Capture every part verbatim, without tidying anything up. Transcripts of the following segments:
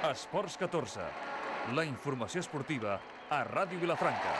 Esports catorze, la informació esportiva a Ràdio Vilafranca.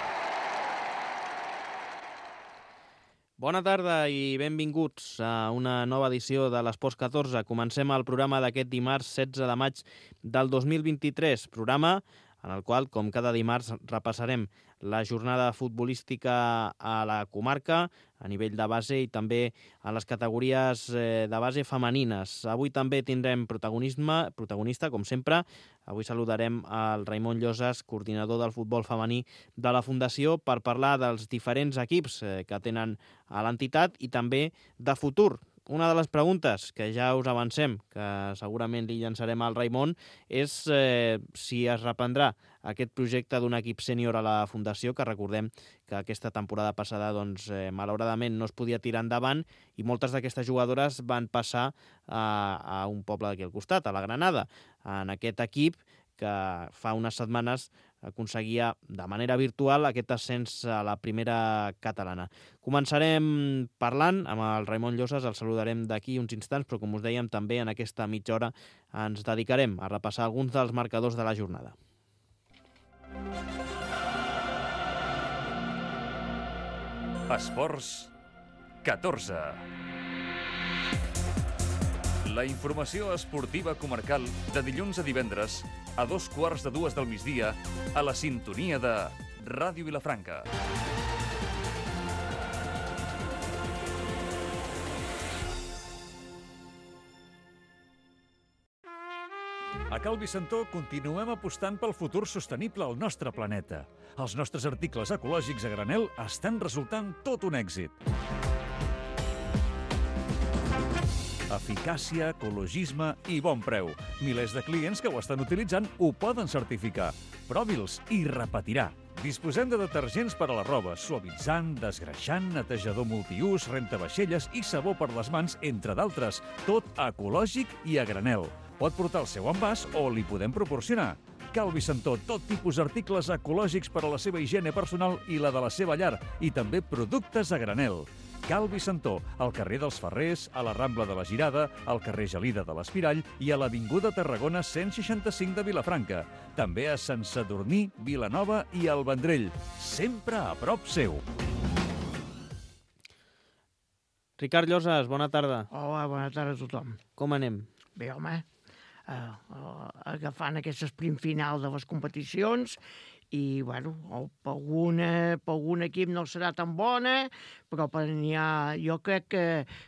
Bona tarda i benvinguts a una nova edició de l'Esports catorze. Comencem el programa d'aquest dimarts setze de maig del dos mil vint-i-tres, programa en el qual, com cada dimarts, repassarem la jornada futbolística a la comarca, a nivell de base i també a les categories de base femenines. Avui també tindrem protagonisme, protagonista, com sempre. Avui saludarem al Raimon Llosas, coordinador del futbol femení de la Fundació, per parlar dels diferents equips que tenen a l'entitat i també de futur. Una de les preguntes que ja us avancem, que segurament li llançarem al Raimon, és eh, si es reprendrà aquest projecte d'un equip sènior a la Fundació, que recordem que aquesta temporada passada doncs, eh, malauradament no es podia tirar endavant i moltes d'aquestes jugadores van passar a, a un poble d'aquí al costat, a la Granada, en aquest equip que fa unes setmanes aconseguia de manera virtual aquest ascens a la primera catalana. Començarem parlant amb el Raimon Llosas, el saludarem d'aquí uns instants, però com us dèiem també en aquesta mitja hora ens dedicarem a repassar alguns dels marcadors de la jornada. Esports catorze. La informació esportiva comarcal de dilluns a divendres a dos quarts de dues del migdia a la sintonia de Ràdio Vilafranca. A Cal Vicentó continuem apostant pel futur sostenible al nostre planeta. Els nostres articles ecològics a granel estan resultant tot un èxit. Eficàcia, ecologisme i bon preu. Milers de clients que ho estan utilitzant ho poden certificar. Provi'ls i repetirà. Disposem de detergents per a la roba, suavitzant, desgreixant, netejador multiús, rentavaixelles i sabó per les mans, entre d'altres. Tot ecològic i a granel. Pot portar el seu envàs o li podem proporcionar. Cal Vicentó, tot tipus d'articles ecològics per a la seva higiene personal i la de la seva llar, i també productes a granel. Cal Vicentó, al carrer dels Ferrers, a la Rambla de la Girada, al carrer Gelida de l'Espirall i a l'Avinguda Tarragona cent seixanta-cinc de Vilafranca. També a Sant Sadurní, Vilanova i el Vendrell. Sempre a prop seu. Ricard Llosas, bona tarda. Hola, bona tarda a tothom. Com anem? Bé, home, uh, uh, agafant aquest sprint final de les competicions i, bueno, per algun, per algun equip no serà tan bona, però per n'hi ha, jo crec que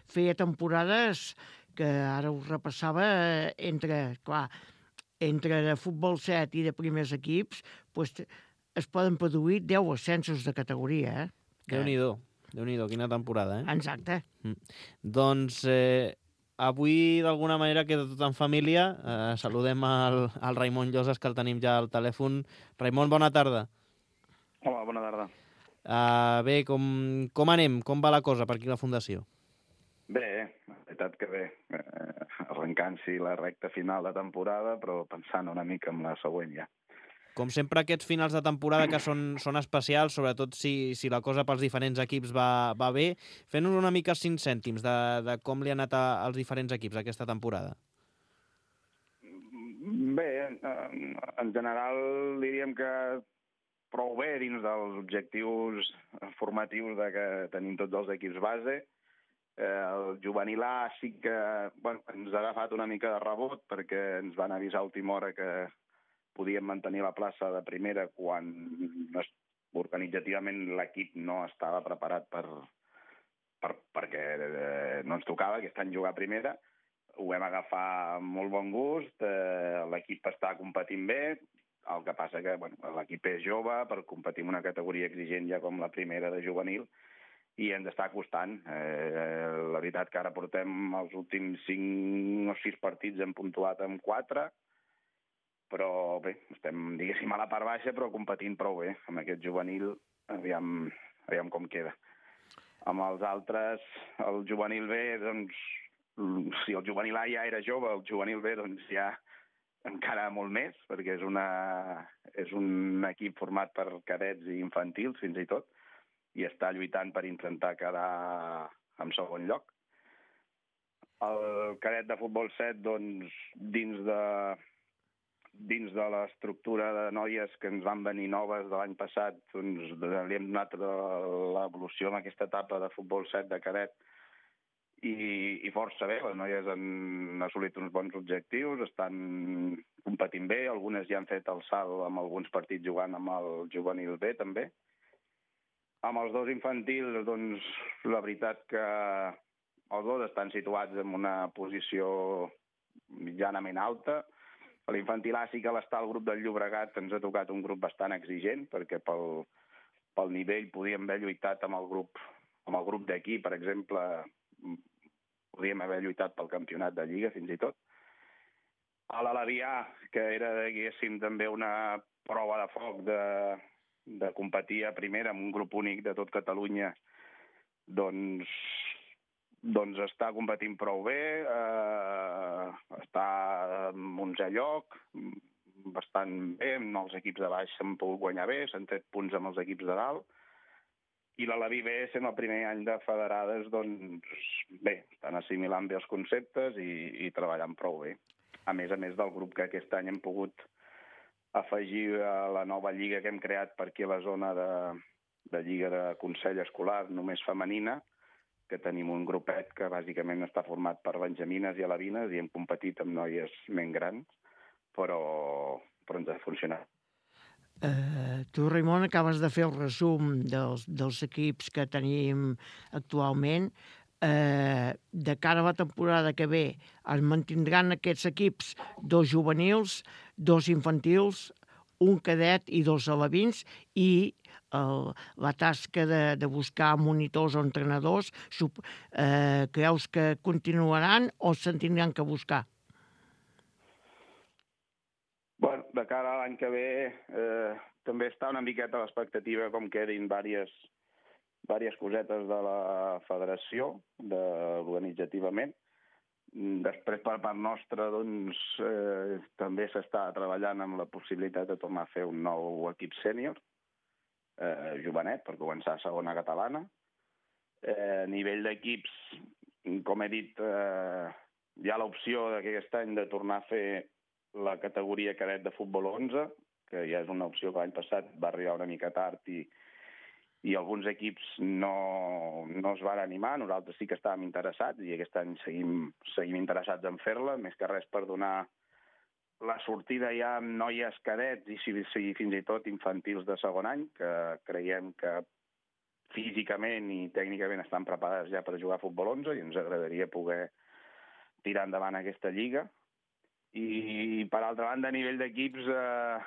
feia temporades que ara us repassava entre, clar, entre de futbol set i de primers equips, pues, es poden produir deu ascensos de categoria. Eh? Déu-n'hi-do, Déu-n'hi-do, quina temporada, eh? Exacte. Mm. Doncs eh, avui, d'alguna manera, queda tot en família. Eh, saludem al, al Raimon Llosas, que el tenim ja al telèfon. Raimon, bona tarda. Hola, bona tarda. Uh, bé, com, com anem? Com va la cosa per aquí a la Fundació? Bé, la veritat que bé. Eh, arrencant-s'hi la recta final de temporada, però pensant una mica en la següent ja. Com sempre, aquests finals de temporada que són, són especials, sobretot si, si la cosa pels diferents equips va, va bé. Fent-nos una mica cinc cèntims de, de com li ha anat a, als diferents equips aquesta temporada. Bé, en general diríem que prou bé dins dels objectius formatius de que tenim tots els equips base. El juvenil A sí que bueno, ens ha agafat una mica de rebot perquè ens van avisar a última hora que podíem mantenir la plaça de primera quan organitzativament l'equip no estava preparat per, per, perquè no ens tocava aquest any jugar a primera. Ho vam agafar amb molt bon gust, eh, l'equip està competint bé, el que passa que bueno, l'equip és jove per competir en una categoria exigent ja com la primera de juvenil i ens està costant. Eh, la veritat que ara portem els últims cinc o sis partits hem puntuat amb quatre, però bé, estem, diguéssim, a la part baixa, però competint prou bé. Amb aquest juvenil, aviam, aviam com queda. Amb els altres, el juvenil B, doncs, si el juvenil A ja era jove, el juvenil B, doncs ja encara molt més, perquè és, una, és un equip format per cadets i infantils, fins i tot, i està lluitant per intentar quedar en segon lloc. El cadet de futbol set, doncs, dins de dins de l'estructura de noies que ens van venir noves de l'any passat, doncs li hem donat l'evolució en aquesta etapa de futbol set de cadet i, i força bé. Les noies han assolit uns bons objectius, estan competint bé, algunes ja han fet el salt amb alguns partits jugant amb el juvenil B també. Amb els dos infantils, doncs, la veritat que els dos estan situats en una posició mitjanament alta. A l'infantil A sí que l'estar al grup del Llobregat ens ha tocat un grup bastant exigent, perquè pel, pel nivell podíem haver lluitat amb el grup, amb el grup d'aquí, per exemple, podíem haver lluitat pel campionat de Lliga, fins i tot. A l'Alavià, que era, diguéssim, també una prova de foc de, de competir a primera amb un grup únic de tot Catalunya, doncs... doncs està competint prou bé, eh, està en onzè lloc, bastant bé, els equips de baix s'han pogut guanyar bé, s'han tret punts amb els equips de dalt, i l'Alaví B, sent el primer any de federades, doncs bé, estan assimilant bé els conceptes i, i treballant prou bé. A més a més del grup que aquest any hem pogut afegir a la nova lliga que hem creat per aquí a la zona de, de lliga de Consell Escolar, només femenina, que tenim un grupet que bàsicament està format per benjamines i alevines i hem competit amb noies més grans, però, però ens ha funcionat. Uh, tu, Raimon, acabes de fer el resum dels, dels equips que tenim actualment. Uh, de cara a la temporada que ve es mantindran aquests equips dos juvenils, dos infantils, un cadet i dos alevins, i el, la tasca de, de buscar monitors o entrenadors, sub, eh, creus que continuaran o se'n tindran que buscar? Bueno, de cara a l'any que ve eh, també està una miqueta a l'expectativa com quedin diverses, diverses cosetes de la federació, de, organitzativament. Després, per part nostra, doncs, eh, també s'està treballant amb la possibilitat de tornar a fer un nou equip sènior, eh, jovenet, per començar a segona catalana. Eh, a nivell d'equips, com he dit, eh, hi ha l'opció d'aquest any de tornar a fer la categoria cadet de futbol onze, que ja és una opció que l'any passat va arribar una mica tard i i alguns equips no, no es van animar. Nosaltres sí que estàvem interessats i aquest any seguim, seguim interessats en fer-la, més que res per donar la sortida ja amb noies cadets i, si, si, fins i tot infantils de segon any, que creiem que físicament i tècnicament estan preparades ja per jugar a futbol onze i ens agradaria poder tirar endavant aquesta lliga. I, per altra banda, a nivell d'equips, eh,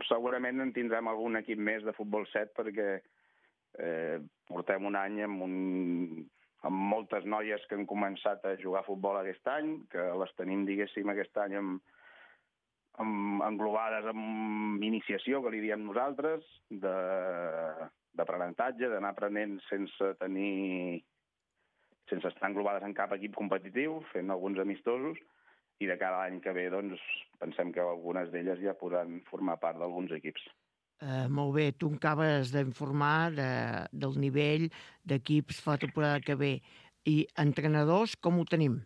segurament en tindrem algun equip més de futbol set perquè eh, portem un any amb, un, amb moltes noies que han començat a jugar a futbol aquest any, que les tenim, diguéssim, aquest any amb, amb, englobades amb iniciació, que li diem nosaltres, d'aprenentatge, d'anar aprenent sense tenir, sense estar englobades en cap equip competitiu, fent alguns amistosos, i de cada any que ve, doncs, pensem que algunes d'elles ja podran formar part d'alguns equips. Uh, molt bé, tu acabes d'informar de, del nivell d'equips fa la temporada que ve. I entrenadors, com ho tenim?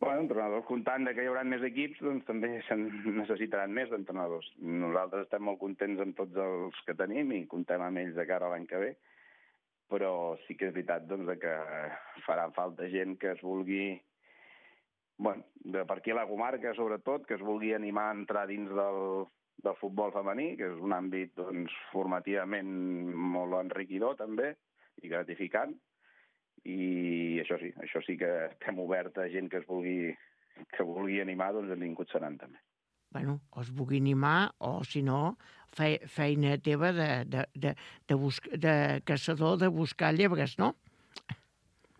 Bueno, entrenadors, comptant que hi haurà més equips, doncs també se'n necessitaran més d'entrenadors. Nosaltres estem molt contents amb tots els que tenim i comptem amb ells de cara a l'any que ve, però sí que és veritat doncs, que farà falta gent que es vulgui, bueno, de per aquí a la comarca, sobretot, que es vulgui animar a entrar dins del, del futbol femení, que és un àmbit doncs, formativament molt enriquidor també i gratificant. I això sí, això sí que estem oberts a gent que es vulgui, que vulgui animar, doncs benvinguts seran també. Bueno, o es vulgui animar, o si no, fe, feina teva de, de, de, de, busc, de caçador de buscar llebres, no?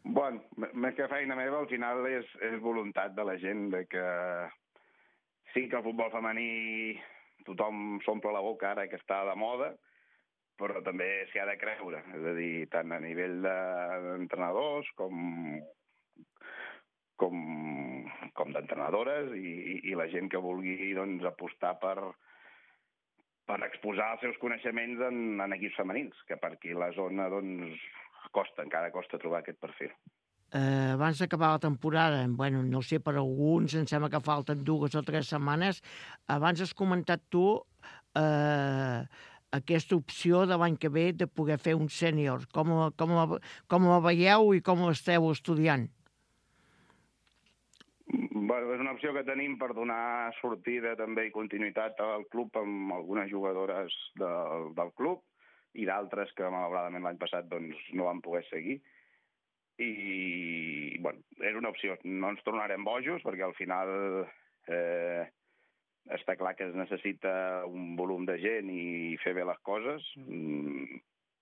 Bueno, més que feina meva, al final és, és voluntat de la gent de que sí que el futbol femení tothom s'omple la boca ara que està de moda, però també s'hi ha de creure, és a dir, tant a nivell d'entrenadors com, com, com d'entrenadores i, i la gent que vulgui doncs, apostar per, per exposar els seus coneixements en, en equips femenins, que per aquí la zona doncs, costa, encara costa trobar aquest perfil. eh, abans d'acabar la temporada, bueno, no sé, per alguns, em sembla que falten dues o tres setmanes, abans has comentat tu eh, aquesta opció de l'any que ve de poder fer un sènior. Com, com, com la veieu i com l'esteu estudiant? Bueno, és una opció que tenim per donar sortida també i continuïtat al club amb algunes jugadores del, del club i d'altres que malauradament l'any passat doncs, no van poder seguir. I, bueno, és una opció. No ens tornarem bojos perquè al final eh, està clar que es necessita un volum de gent i fer bé les coses,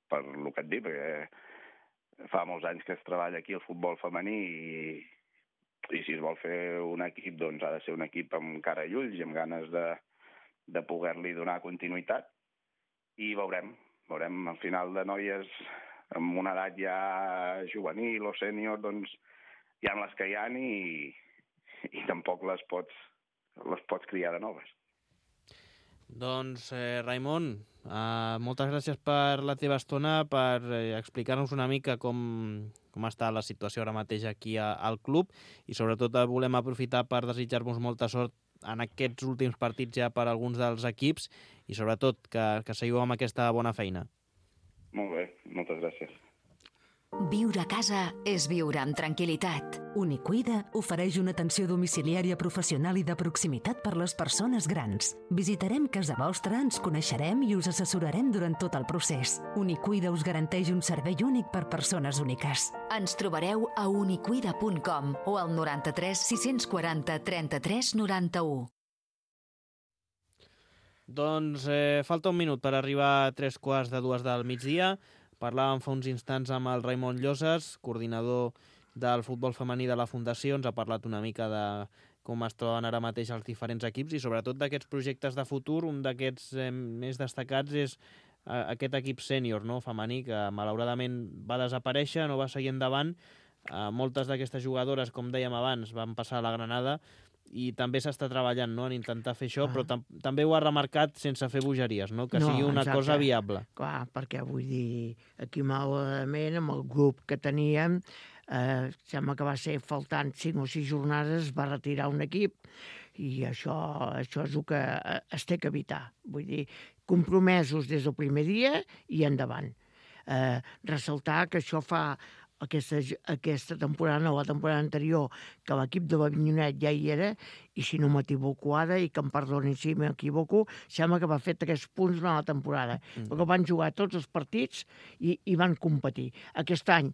per el que et dic, perquè fa molts anys que es treballa aquí el futbol femení i i si es vol fer un equip, doncs ha de ser un equip amb cara i ulls i amb ganes de, de poder-li donar continuïtat. I veurem, veurem al final de noies amb una edat ja juvenil o sènior, doncs hi ha les que hi ha i, i tampoc les pots, les pots criar de noves. Doncs, eh, Raimon, eh, moltes gràcies per la teva estona, per eh, explicar-nos una mica com, com està la situació ara mateix aquí a, al club i sobretot volem aprofitar per desitjar-vos molta sort en aquests últims partits ja per alguns dels equips i sobretot que, que seguiu amb aquesta bona feina. Molt bé, moltes gràcies. Viure a casa és viure amb tranquil·litat. Unicuida ofereix una atenció domiciliària professional i de proximitat per les persones grans. Visitarem casa vostra, ens coneixerem i us assessorarem durant tot el procés. Unicuida us garanteix un servei únic per persones úniques. Ens trobareu a unicuida punt com o al noranta-tres sis-cents quaranta trenta-tres noranta-u. Doncs eh, falta un minut per arribar a tres quarts de dues del migdia. Parlàvem fa uns instants amb el Raimon Llosas, coordinador del futbol femení de la Fundació. Ens ha parlat una mica de com es troben ara mateix els diferents equips i sobretot d'aquests projectes de futur. Un d'aquests eh, més destacats és eh, aquest equip sènior, no, femení, que malauradament va desaparèixer, no va seguir endavant. Eh, moltes d'aquestes jugadores, com dèiem abans, van passar a la Granada i també s'està treballant, no?, en intentar fer això, ah. però tam també ho ha remarcat sense fer bogeries, no?, que no, sigui una exacte. Cosa viable. Clar, perquè vull dir, aquí malauradament, amb el grup que teníem, eh, sembla que va ser faltant cinc o sis jornades, va retirar un equip i això, això és el que es té que evitar. Vull dir, compromesos des del primer dia i endavant. Eh, ressaltar que això fa Aquesta, aquesta temporada, no, la temporada anterior, que l'equip de l'Avinyonet ja hi era, i si no m'equivoco ara, i que em perdonin si m'equivoco, sembla que va fer tres punts durant la temporada, mm. perquè van jugar tots els partits i, i van competir. Aquest any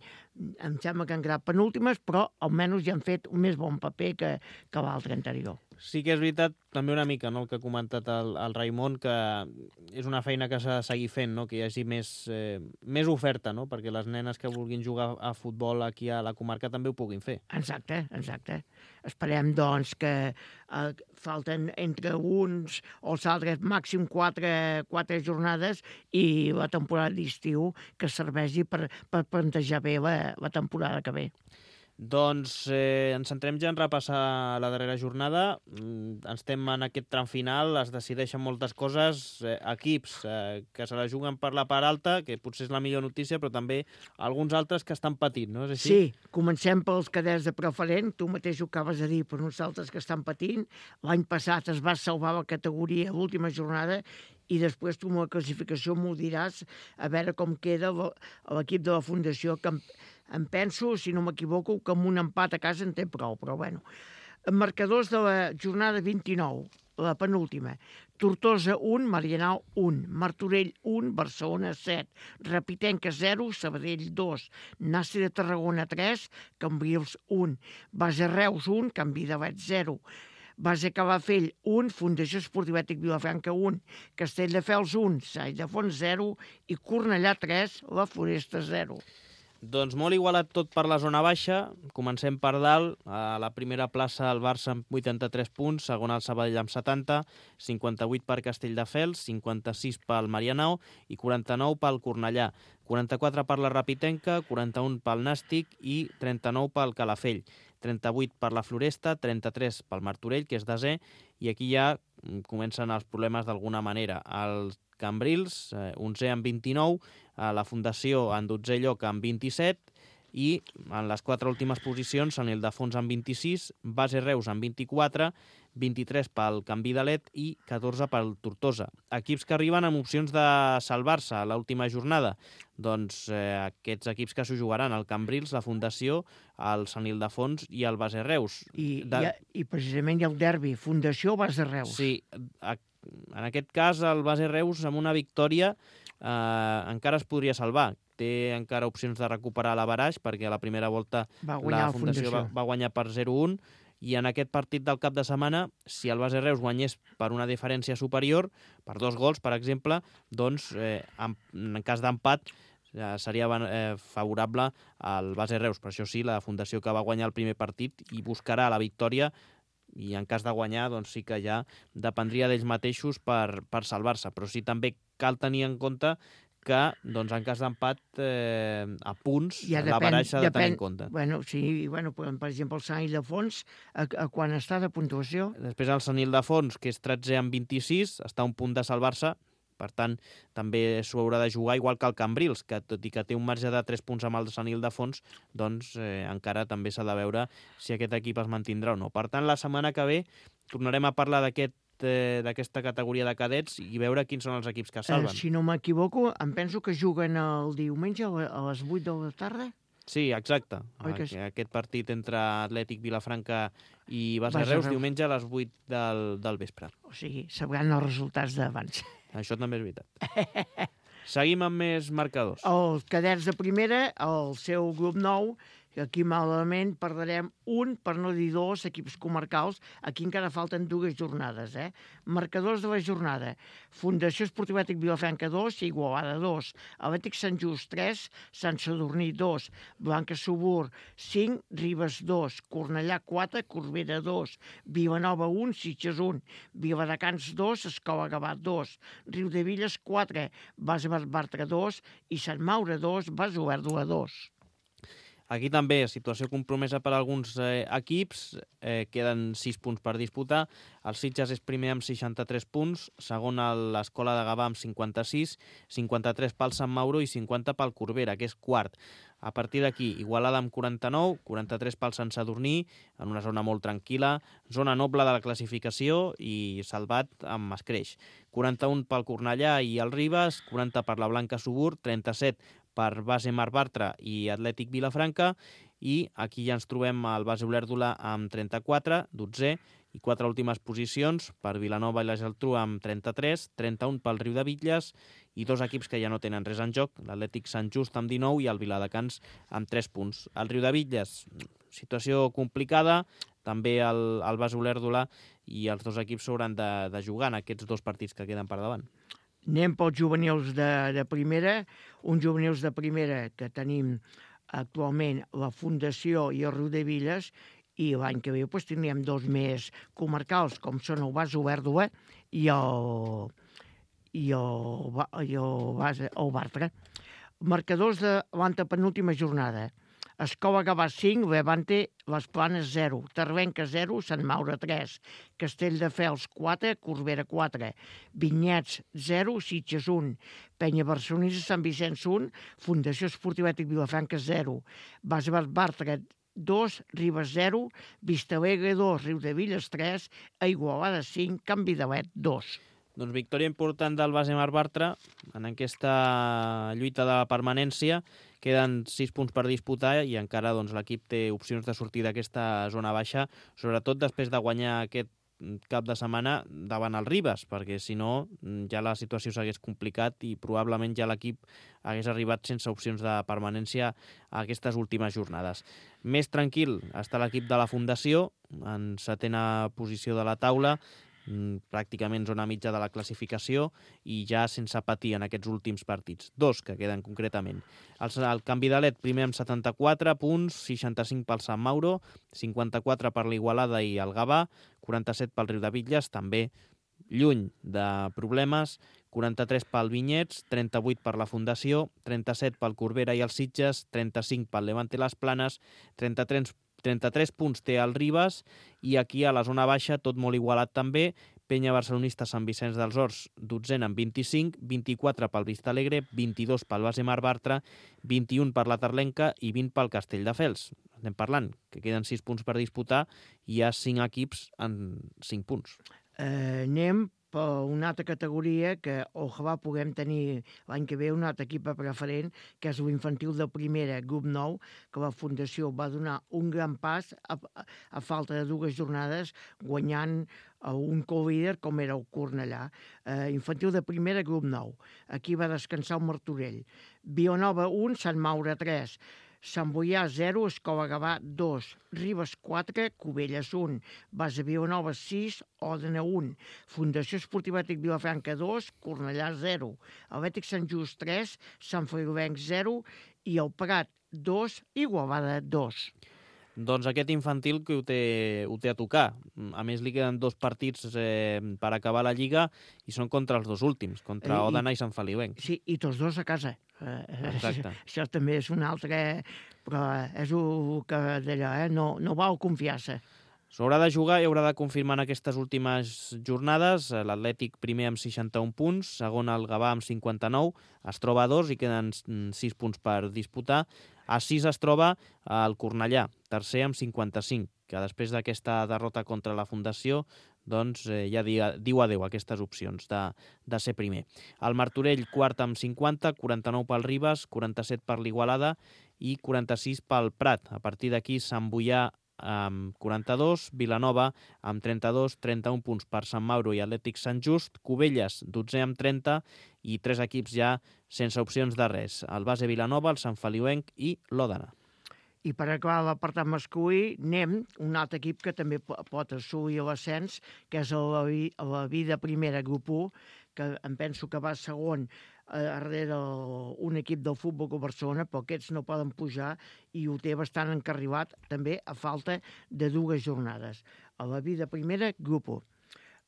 em sembla que han quedat penúltimes, però almenys ja han fet un més bon paper que, que l'altre anterior. Sí que és veritat, també una mica, no?, el que ha comentat el, el Raimon, que és una feina que s'ha de seguir fent, no?, que hi hagi més, eh, més oferta, no?, perquè les nenes que vulguin jugar a futbol aquí a la comarca també ho puguin fer. Exacte, exacte. Esperem, doncs, que eh, falten entre uns o els altres màxim quatre, quatre jornades i la temporada d'estiu que serveixi per, per plantejar bé la, la temporada que ve. Doncs eh, ens centrem ja en repassar la darrera jornada. Mm, estem en aquest tram final, es decideixen moltes coses, eh, equips eh, que se la juguen per la part alta, que potser és la millor notícia, però també alguns altres que estan patint, no és així? Sí, comencem pels cadets de preferent, tu mateix ho acabes de dir, per nosaltres que estan patint. L'any passat es va salvar la categoria a l'última jornada i després tu amb la classificació m'ho diràs a veure com queda l'equip de la Fundació, que em penso, si no m'equivoco, que amb un empat a casa en té prou, però bueno. Marcadors de la jornada vint-i-nou, la penúltima. Tortosa un, Marianao un, Martorell un, Barcelona set, Rapitenca zero, Sabadell dos, Nàstic de Tarragona tres, Cambrils un, Base Reus un, Canvi de Vet zero, Base Calafell un, Fundació Esportiva Ètic Vilafranca un, Castelldefels un, Sai de Fons zero i Cornellà tres, la Floresta zero. Doncs molt igualat tot per la zona baixa. Comencem per dalt. A la primera plaça el Barça amb vuitanta-tres punts, segona el Sabadell amb setanta, cinquanta-vuit per Castelldefels, cinquanta-sis pel Marianao i quaranta-nou pel Cornellà. quaranta-quatre per la Rapitenca, quaranta-un pel Nàstic i trenta-nou pel Calafell. trenta-vuit per la Floresta, trenta-tres pel Martorell, que és desè, i aquí ja comencen els problemes d'alguna manera. El Cambrils, eh, onzè amb vint-i-nou, a la Fundació en dotzè lloc amb vint-i-set, i en les quatre últimes posicions, Sant Ildefons amb vint-i-sis, Base Reus amb vint-i-quatre, vint-i-tres pel Canvi de Let i catorze pel Tortosa. Equips que arriben amb opcions de salvar-se a l'última jornada. Doncs eh, aquests equips que s'ho jugaran, el Cambrils, la Fundació, el Sant Ildefons i el Base Reus. I, de... i, i precisament hi ha el derbi, Fundació Base Reus. Sí, en aquest cas el Base Reus amb una victòria eh, encara es podria salvar. Té encara opcions de recuperar l'averaix perquè a la primera volta va guanyar la Fundació, Fundació. Va, va guanyar per zero a un i en aquest partit del cap de setmana, si el Base Reus guanyés per una diferència superior, per dos gols, per exemple, doncs eh, en, en cas d'empat eh, seria eh, favorable al Base Reus. Per això sí, la Fundació que va guanyar el primer partit i buscarà la victòria i en cas de guanyar doncs sí que ja dependria d'ells mateixos per, per salvar-se. Però sí també cal tenir en compte que doncs, en cas d'empat eh, a punts ja l'averaix s'ha de tenir en compte. Bueno, sí, bueno, per exemple, el Sant Ildefons, a, a quan està de puntuació? Després el Sant Ildefons, que és tretzè amb vint-i-sis, està a un punt de salvar-se, per tant, també s'ho haurà de jugar, igual que el Cambrils, que tot i que té un marge de tres punts amb el Sant Ildefons, doncs eh, encara també s'ha de veure si aquest equip es mantindrà o no. Per tant, la setmana que ve tornarem a parlar d'aquest d'aquesta categoria de cadets i veure quins són els equips que salven. Eh, si no m'equivoco, em penso que juguen el diumenge a les vuit de la tarda. Sí, exacte. Oi que sí? Aquest partit entre Atlètic Vilafranca i Base Base Reus, Reus. diumenge a les vuit del, del vespre. O sigui, sabran els resultats d'abans. Això també és veritat. Seguim amb més marcadors. Els cadets de primera, el seu grup nou, aquí malament perdrem un, per no dir dos, equips comarcals. Aquí encara falten dues jornades. Eh? Marcadors de la jornada. Fundació Esportiva Atlètic Vilafranca dos, Igualada dos. Atlètic Sant Just tres, Sant Sadurní dos. Blanca Subur cinc, Ribes dos. Cornellà quatre, Corbera dos. Vilanova un, Sitges un. Viladecans dos, Escola Gavat dos. Riudevilles quatre, Base Bartra dos. I Sant Maure dos, Base Olèrdola dos. Aquí també, situació compromesa per alguns eh, equips, eh, queden sis punts per disputar. El Sitges és primer amb seixanta-tres punts, segon l'Escola de Gavà amb cinquanta-sis, cinquanta-tres pel Sant Mauro i cinquanta pel Corbera, que és quart. A partir d'aquí, Igualada amb quaranta-nou, quaranta-tres pel Sant Sadurní, en una zona molt tranquil·la, zona noble de la classificació i salvat amb escreix. quaranta-un pel Cornellà i el Ribes, quaranta per la Blanca Subur, trenta-set per Base Mar Bartra i Atlètic Vilafranca, i aquí ja ens trobem al Base Olèrdola amb trenta-quatre, dotzè, i quatre últimes posicions per Vilanova i la Geltrú amb trenta-tres, trenta-un pel Riudebitlles i dos equips que ja no tenen res en joc, l'Atlètic Sant Just amb dinou i el Viladecans amb tres punts. El Riudebitlles, situació complicada, també el, el Base Olèrdola i els dos equips s'hauran de, de jugar en aquests dos partits que queden per davant. Anem pels juvenils de, de primera, uns juvenils de primera que tenim actualment la Fundació i el Riudebitlles, i l'any que ve doncs, tindríem dos més comarcals, com són el Base Olèrdola i el, i el, i el, base, el Bartra. Marcadors de l'antepenúltima jornada. Escola Gavà cinc, Levante, Les Planes zero, Tarvenca zero, Sant Maure tres, Castelldefels quatre, Corbera quatre, Vinyets zero, Sitges un, Penya Barcelonesa, Sant Vicenç un, Fundació Esportiva Atlètic Vilafranca zero, Base Bartra dos, Ribes zero, Vistalegre dos, Riudebitlles tres, Igualada cinc, Can Vidalet dos. Doncs victòria important del Base Mar Bartra en aquesta lluita de la permanència. Queden sis punts per disputar i encara doncs, l'equip té opcions de sortir d'aquesta zona baixa, sobretot després de guanyar aquest cap de setmana davant el Ribes, perquè si no ja la situació s'hagués complicat i probablement ja l'equip hagués arribat sense opcions de permanència a aquestes últimes jornades. Més tranquil està l'equip de la Fundació, en setena posició de la taula, pràcticament zona mitja de la classificació i ja sense patir en aquests últims partits. Dos que queden concretament. El, el Canvi de Let primer amb setanta-quatre punts, seixanta-cinc pel Sant Mauro, cinquanta-quatre per l'Igualada i el Gavà, quaranta-set pel Riudebitlles, també lluny de problemes, quaranta-tres pel Vinyets, trenta-vuit per la Fundació, trenta-set pel Corbera i els Sitges, trenta-cinc pel Levante Les Planes, trenta-tres trenta-tres punts té el Ribes i aquí a la zona baixa tot molt igualat també, Penya Barcelonista Sant Vicenç dels Horts, dotzena amb vint-i-cinc, vint-i-quatre pel Vista Alegre, vint-i-dos pel Base Mar Bartra, vint-i-un per la Tarlenca i vint pel Castelldefels. Estem parlant que queden sis punts per disputar i hi ha cinc equips en cinc punts. Eh, anem per una altra categoria que ojalà puguem tenir l'any que ve un altre equip preferent, que és l'infantil de primera, grup nou, que la Fundació va donar un gran pas a, a, a falta de dues jornades, guanyant a un co-líder com era el Cornellà. Eh, infantil de primera, grup nou. Aquí va descansar el Martorell. Vilanova un, Sant Maure tres, Sant Boià zero, Escola Gavà dos, Ribes quatre, Cubelles un, Base Vilanova sis, Òdena un, Fundació Esportiva Atlètic Vilafranca dos, Cornellà zero, Atlètic Sant Just tres, Sant Feliuenc zero i el Prat dos, Igualada dos. Doncs aquest infantil que ho té, ho té a tocar. A més, li queden dos partits eh, per acabar la Lliga i són contra els dos últims, contra I, Òdena i Sant Feliuenc. Sí, i tots dos a casa. Exacte. Això també és un altre... Però és el que d'allò, eh? No, no val confiar-se. S'haurà de jugar i haurà de confirmar en aquestes últimes jornades. L'Atlètic primer amb seixanta-un punts, segon el Gavà amb cinquanta-nou, es troba a dos i queden sis punts per disputar. A sis es troba el Cornellà, tercer amb cinquanta-cinc, que després d'aquesta derrota contra la Fundació doncs eh, ja diu adeu a aquestes opcions de, de ser primer. El Martorell, quart amb cinquanta, quaranta-nou pel Ribes, quaranta-set per l'Igualada i quaranta-sis pel Prat. A partir d'aquí, Sant Boià amb quaranta-dos, Vilanova amb trenta-dos, trenta-un punts per Sant Mauro i Atlètic Sant Just, Cubelles, dotze amb trenta i tres equips ja sense opcions de res. El Base Vilanova, el Sant Feliuenc i l'Òdena. I per acabar l'apartat masculí, anem un altre equip que també pot assolir l'ascens, que és la, la Vida Primera, grup u, que em penso que va segon darrere un equip del Futbol Club Barcelona, però aquests no poden pujar i ho té bastant encarrilat, també a falta de dues jornades. A la Vida Primera, grup u.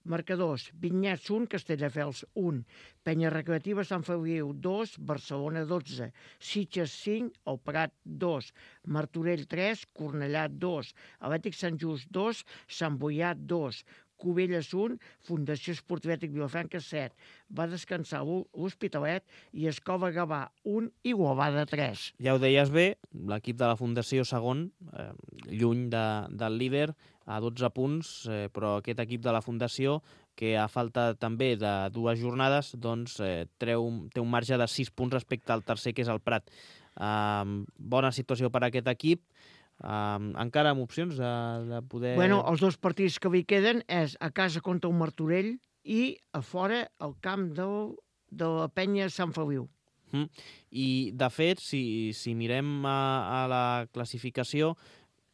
Marcadors, Vinyets un, Castelldefels un, Penya Recreativa Sant Feliu dos, Barcelona dotze, Sitges cinc, el Prat dos, Martorell tres, Cornellà dos, Atlètic Sant Just dos, Sant Boià dos, Cubelles un, Fundació Esportiva Atlètic Vilafranca set, va descansar l'Hospitalet i Escola Gavà un, Igualada tres. Ja ho deies bé, l'equip de la Fundació segon, eh, lluny de, del líder, a dotze punts, eh, però aquest equip de la Fundació, que a falta també de dues jornades, doncs eh, treu, té un marge de sis punts respecte al tercer, que és el Prat. Eh, bona situació per a aquest equip, eh, encara amb opcions de, de poder... Bueno, els dos partits que li queden és a casa contra el Martorell i a fora al camp del, de la Penya Sant Feliu. Mm. I, de fet, si, si mirem a, a la classificació,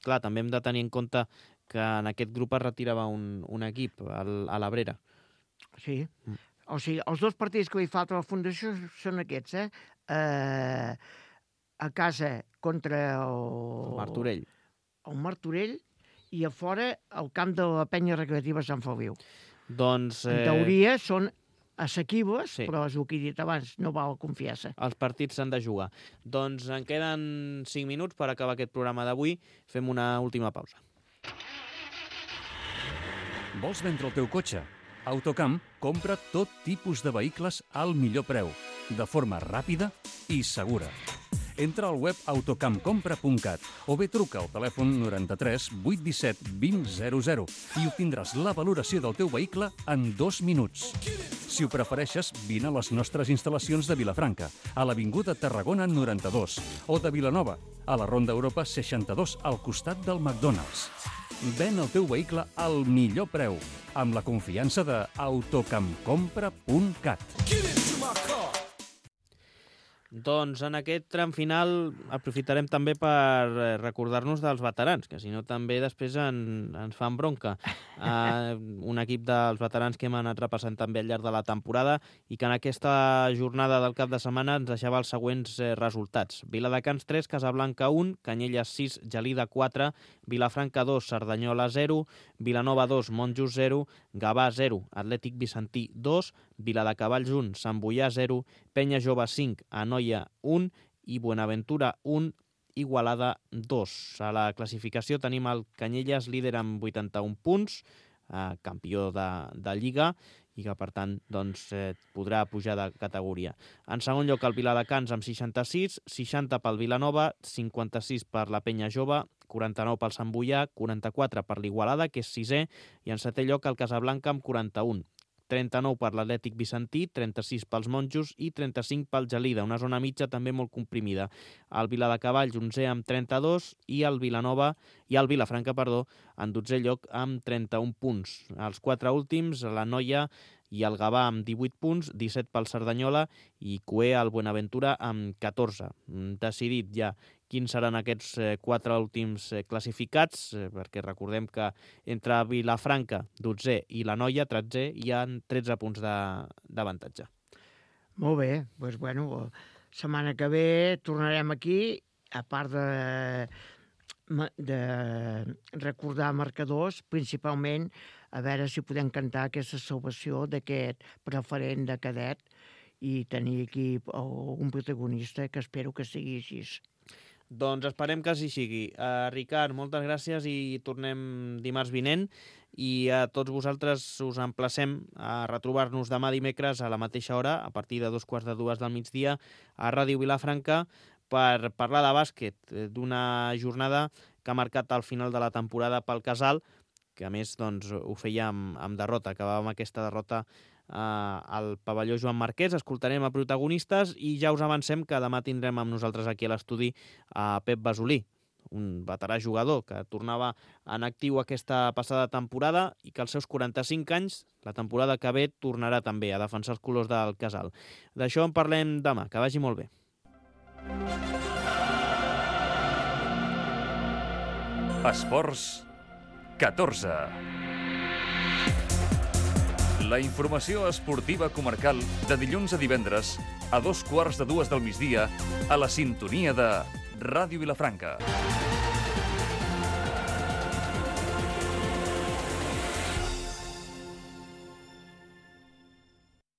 clar, també hem de tenir en compte que en aquest grup es retirava un, un equip, el, a l'Abrera. Sí. Mm. O sigui, els dos partits que li falta a la Fundació són aquests, eh? eh a casa contra el... el Martorell. El Martorell i a fora al camp de la Penya Recreativa Sant Feliu. Doncs... Eh... En teoria són assequibles, sí. Però és el que he dit abans, no val confiar-se. Els partits s'han de jugar. Doncs en queden cinc minuts per acabar aquest programa d'avui. Fem una última pausa. Vols vendre el teu cotxe? Autocamp compra tot tipus de vehicles al millor preu, de forma ràpida i segura. Entra al web autocamp compra punt cat o bé truca al telèfon noranta-tres vuit disset vint zero zero i obtindràs la valoració del teu vehicle en dos minuts. Si ho prefereixes, vine a les nostres instal·lacions de Vilafranca, a l'Avinguda Tarragona noranta-dos, o de Vilanova, a la Ronda Europa seixanta-dos, al costat del McDonald's. Ven el teu vehicle al millor preu, amb la confiança de autocamp compra punt cat. Doncs en aquest tram final aprofitarem també per recordar-nos dels veterans, que si no també després en, ens fan bronca. Uh, un equip dels veterans que hem anat repassant també al llarg de la temporada i que en aquesta jornada del cap de setmana ens deixava els següents eh, resultats. Viladecans tres, Casablanca un, Canyelles sis, Gelida quatre, Vilafranca dos, Cerdanyola zero, Vilanova dos, Montjust zero, Gavà zero, Atlètic Vicentí dos, Viladecavalls un, Sant Boià zero, Penya Jove cinc, Anoia un i Buenaventura un, Igualada dos. A la classificació tenim el Canyelles líder amb vuitanta-un punts, eh, campió de, de Lliga, i que, per tant, doncs, eh, podrà pujar de categoria. En segon lloc, el Viladecans amb seixanta-sis, seixanta pel Vilanova, cinquanta-sis per la Penya Jove, quaranta-nou pel Sant Boià, quaranta-quatre per l'Igualada, que és sisè, i en setè lloc el Casablanca amb quaranta-un. trenta-nou per l'Atlètic Vicentí, trenta-sis pels Monjos i trenta-cinc pel Gelida, una zona mitja també molt comprimida. El Viladecavalls, onzè amb trenta-dos, i el Vilanova i el Vilafranca, perdó, en dotzè lloc amb trenta-un punts. Els quatre últims, la Noia i el Gavà amb divuit punts, disset pel Cerdanyola i Cué al Buenaventura amb catorze. Decidit ja quins seran aquests quatre últims classificats, perquè recordem que entre Vilafranca, dotzè, i la Noia, tretzè, hi ha tretze punts d'avantatge. Molt bé, doncs bueno, setmana que ve tornarem aquí, a part de, de recordar marcadors, principalment a veure si podem cantar aquesta salvació d'aquest preferent de cadet i tenir aquí un protagonista que espero que sigui així. Doncs esperem que així sigui. Uh, Ricard, moltes gràcies i tornem dimarts vinent, i a tots vosaltres us emplacem a retrobar-nos demà dimecres a la mateixa hora, a partir de dos quarts de dues del migdia, a Ràdio Vilafranca, per parlar de bàsquet, d'una jornada que ha marcat el final de la temporada pel Casal, que a més doncs, ho feia amb, amb derrota, acabàvem aquesta derrota al pavelló Joan Marquès. Escoltarem a protagonistes i ja us avancem que demà tindrem amb nosaltres aquí a l'estudi a Pep Basolí, un veterà jugador que tornava en actiu aquesta passada temporada i que als seus quaranta-cinc anys, la temporada que ve, tornarà també a defensar els colors del Casal. D'això en parlem demà. Que vagi molt bé. Esports catorze. La informació esportiva comarcal de dilluns a divendres a dos quarts de dues del migdia a la sintonia de Ràdio Vilafranca.